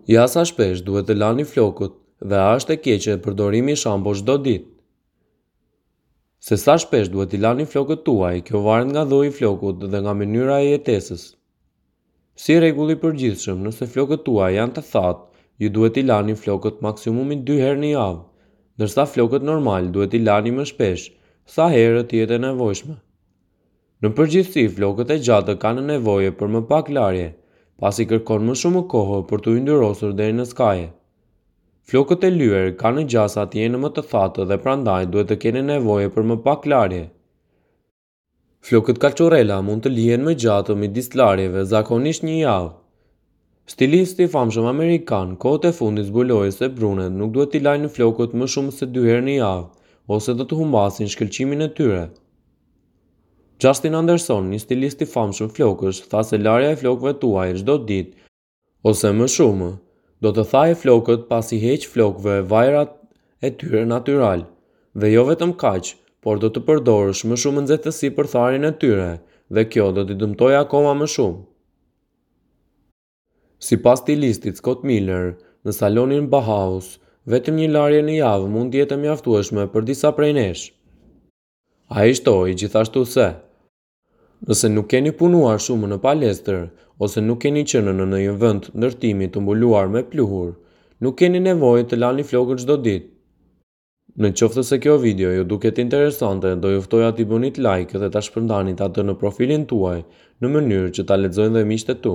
Ja sa shpesh duhet të lani flokët dhe a është e keqe përdorimi i shampos çdo ditë. Se sa shpesh duhet t'i lani flokët tuaj, kjo varet nga lloji i flokut dhe nga mënyra e jetesës. Si rregull i përgjithshëm, nëse flokët tuaj janë të thatë, ju duhet t'i lani flokët maksimumi dy herë në javë, ndërsa flokët normal duhet t'i lani më shpesh, sa herë të jetë e nevojshme. Në përgjithësi, flokët e gjatë kanë nevojë për më pak larje, pasi kërkon më shumë kohë për t'u yndyrosur deri në skaje. Flokët e lyer kanë gjasa të jenë më të thatë dhe prandaj duhet të kenë nevojë për më pak larje. Flokët kaçurrela mund të lihen më gjatë midis larjeve, zakonisht një javë. Stilisti i famshëm amerikan kohët e fundit zbuloi se brunet nuk duhet t'i lajnë flokët më shumë se dy herë në javë, ose do të humbasin shkëlqimin e tyre. Justin Anderson, një stilist i famshëm flokësh, tha se larja e flokëve tuaj çdo ditë, ose më shumë, do të thajë flokët pasi heq flokëve vajrat e tyre natyral. Dhe jo vetëm kaq, por do të përdorësh më shumë nxehtësi për tharjen e tyre, dhe kjo do t'i dëmtojë akoma më shumë. Sipas stilistit Scott Miller, në salonin Bauhaus, vetëm një larje në javë mund të jetë e mjaftueshme për disa prej nesh. Ai shtoi gjithashtu se, Nëse nuk keni punuar shumë në palestër ose nuk keni qenë në ndonjë vend ndërtimi të mbuluar me pluhur, nuk keni nevojë të lani flokët çdo ditë. Në qoftë se kjo video ju duket interesante, do ju ftoja t'i bënit like dhe ta shpërndanit atë në profilin tuaj në mënyrë që ta lexojnë dhe miqtë e tu.